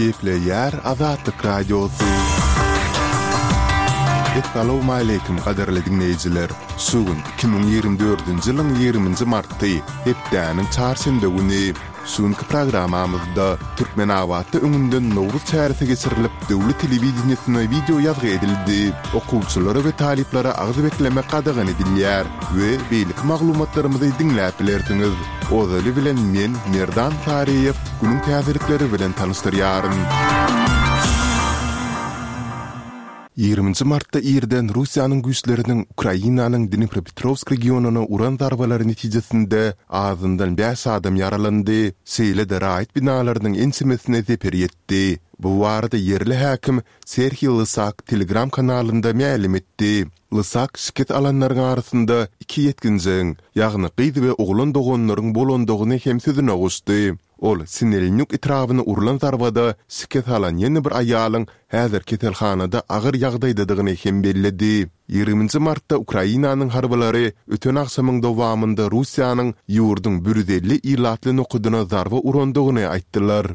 Gepleýär Azatlyk Radiosy. Essalawmaleýkim gadyrly diňleýjiler! Şu gün 2024-nji ýylyň 20-nji marty, hepdäniň çarşenbe güni. Şu günki programmamyzda Türkmenabatda öňünden Nowruz çäresi geçirilip, döwlet telewideniýesine wideo ýazgy edildi, okuwçylara we talyplara agyz beklemek gadagan edilýär we beýleki maglumatlarymyzy diňläp bilersiňiz. Ozaly bilen men, Merdan Saryýew, günüň täzelikleri bilen tanyşdyrýaryn. Ýigriminji martda irden Russiýanyň güýçleriniň Ukrainanyň Dnipropetrowsk regionyna uran zarbalary netijesinde azyndan bäş adam ýaralandy, şeýle-de raýat binalarynyň ençemesine zeper ýetdi. Bu barada ýerli häkim Serhiý Lysak Telegram kanalynda mälim etdi. Lysak şikes alanlaryň arasynda iki ýetginjegiň, ýagny gyz we oglan doganlaryň bolandygyny hem sözüne goşdy. Ol Sinelnýuk etrabyna urlan zarbada şikes alan ýene bir aýalyň häzir keselhanada agyr ýagdaýdadygyny hem belledi. Ýigriminji martda Ukrainanyň harbylary öten agşamyň dowamynda Russiýanyň ýurduň 150 ilatly nokadyna zarba urandygyny aýtdylar.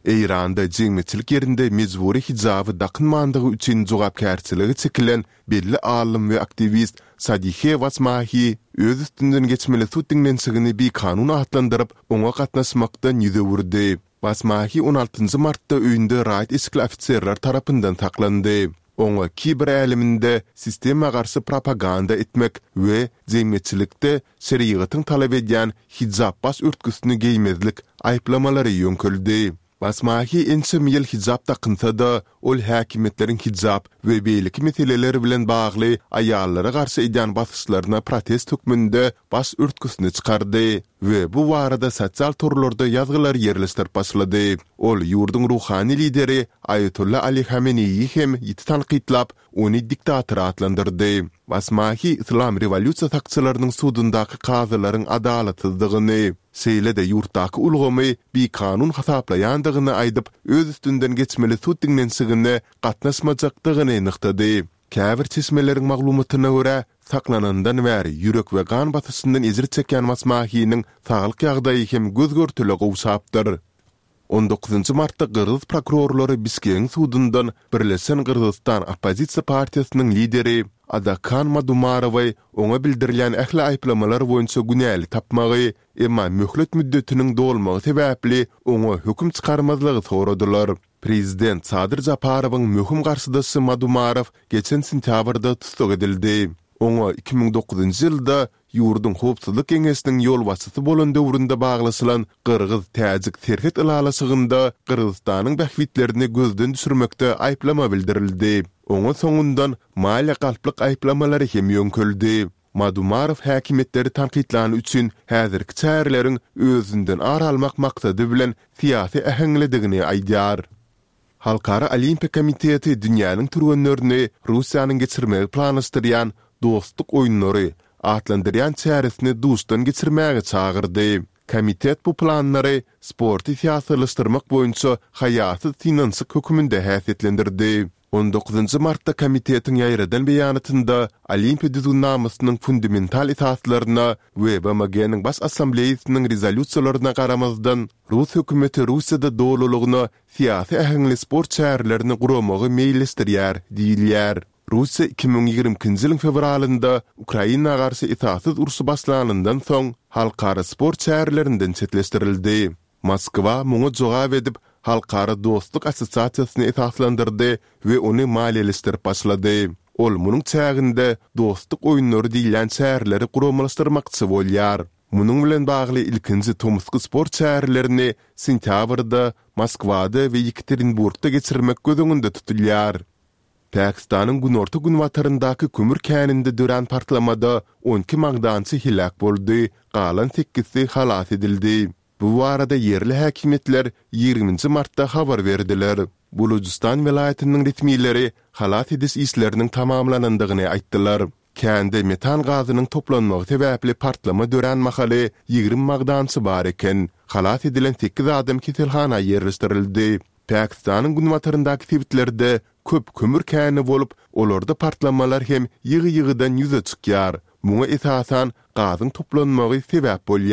Eýranda jemgyýetçilik ýerinde mejbury hijaby dakynmandygy üçin jogapkärçilige çekilen belli alym we aktiwist Sadihe Wasmahi öz üstünden geçmeli sud diňlenişigini bikanun atlandyryp, oňa gatnaşmakdan ýüz öwürdi. Wasmahi on altynjy martda öýünde raýat eşikli ofiserler tarapyndan saklandy. Oňa kiber äleminde sistema garşy propaganda etmek we jemgyýetçilikde şerigatyň talap edýän hijap baş örtgüsini geýmezlik aýyplamalary ýöňkeldi. Basmahi ençeme ýyl hijap dakynsa-da, ol häkimiýetleriň hijap we beýleki meseleler bilen bagly aýallara garşy edýän basyşlaryna protest hökmünde baş örtgüsini çykardy we bu barada sosial torlarda ýazgylar ýerleşdirip başlady. Ol ýurduň ruhany lideri Aýatolla Ali Hameneýi hem ýiti tankytlap, ony diktator atlandyrdy. Basmahi Yslam rewolýusiýa sakçylarynyň sudundaky kazylaryň adalatsyzdygyny, şeýle-de ýurtdaky ulgamy bikanun hasaplaýandygyny aýdyp, öz üstünden geçmeli sud diňlenişigine gatnaşmajakdygyny nygtady. Käbir çeşmeleriň maglumatyna görä, saklanandan bäri ýürek we gan basyşyndan ejir çekýän Basmahiniň saglyk ýagdaýy hem göz-görtele gowşapdyr. On dokuzynjy martda gyrgyz prokurorlary Bişkegiň sudundan Birleşen Gyrgyzystan oppozisiýa partiýasynyň lideri Adakan Madumarowy oňa bildirilýän ähli aýyplamalar boýunça günäli tapmagy, emma möhlet müddetiniň dolmagy sebäpli oňa höküm çykarmazlygy soradylar. Prezident Sadyr Japarowyň möhüm garşydaşy Madumarow geçen sentýabrda tussag edildi. Oňa 2009-njy ýylda ýurduň Howpsuzlyk geňeşiniň ýolbaşçysy bolan döwründe baglaşylan gyrgyz-täjik serhet ylalaşygynda Gyrgyzystanyň bähbitlerini gözden düşürmekde aýyplama bildirildi. Oňa soňundan maliýe galplyk aýyplamalary hem ýöňkeldi. Madumarow häkimiýetleri tankytlany üçin häzirki çäreleriň özünden ar almak maksady bilen syýasy äheňlidigini aýdýar. Halkara Olimpiýa komiteti dünýäniň türgenlerini Russiýanyň geçirmegi planlaşdyrýan Dostluk oýunlary atlandyrýan çäresini duşdan geçirmäge çagyrdy. Komitet bu planlary sporty syýasylaşdyrmak boýunça haýasyz synanyşyk höküminde häsiýetlendirdi. On dokuzynjy martda komitetiň ýaýradan beýanatynda Olimpiýa düzgünnamasynyň fundamental esaslaryna we BMG-niň Baş Assambleýasynyň rezolýusiýalaryna garamazdan, rus hökümeti Russiýada dolulygyna syýasy äheňli sport çärelerini guramagy meýilleşdirýär diýilýär. Russiýa 2022-nji ýylyň fewralynda Ukraina garşy esassyz urşy başlanyndan soň, halkara sport çärelerinden çetleşdirildi. Moskwa muňa jogap edip, Halkara dostluk assosiasiýasyny esaslandyrdy we ony maliýeleşdirip başlady. Ol munuň çäginde Dostluk oýunlary diýilýän çäreleri guramalaşdyrmakçy bolýar. Munuň bilen bagly ilkinji tomusky sport çärelerini sentýabrda Moskwada we Ýekaterinburgda geçirmek göz öňünde tutulýar. Pakistanyň günorta-günbataryndaky kömür käninde dörän partlamada 12 magdançy heläk boldy, galan sekizisi halas edildi. Bu barada ýerli häkimiýetler ýigriminji martda habar berdiler. Bulujystan welaýatynyň resmileri halas ediş işleriniň tamamlanandygyny aýtdylar. Kände metan gazynyň toplanmagy sebäpli partlama dörän mahaly 20 magdançy bar eken. Halas edilen sekiz adam keselhana ýerleşdirildi. Pakistanyň günbataryndaky sebitlerde köp kömür käni bolup, olarda partlamalar hem ýygy-ýygydan ýüze çykýar. Muňa esasan gazyň toplanmagy sebäp bolýar.